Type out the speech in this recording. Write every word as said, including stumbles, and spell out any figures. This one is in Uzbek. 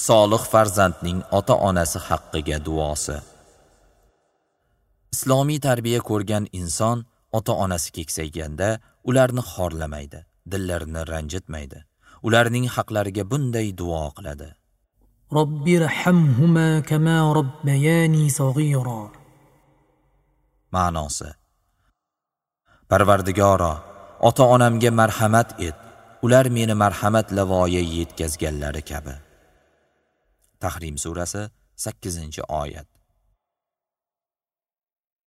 Solih farzandning ota-onasi haqqiga duosi. Islomiy tarbiya ko'rgan inson ota-onasi keksayganda ularni xorlamaydi, dillarini ranjitmaydi. Ularning haqlariga bunday duo qiladi: Robbi irhamhuma kama robbayani saghira. Ma'nosi: Parvardigoro, ota-onamga marhamat et, ular meni marhamat lavoya yetkazganlari kabi. Tahrim surasi sakkizinchi oyat.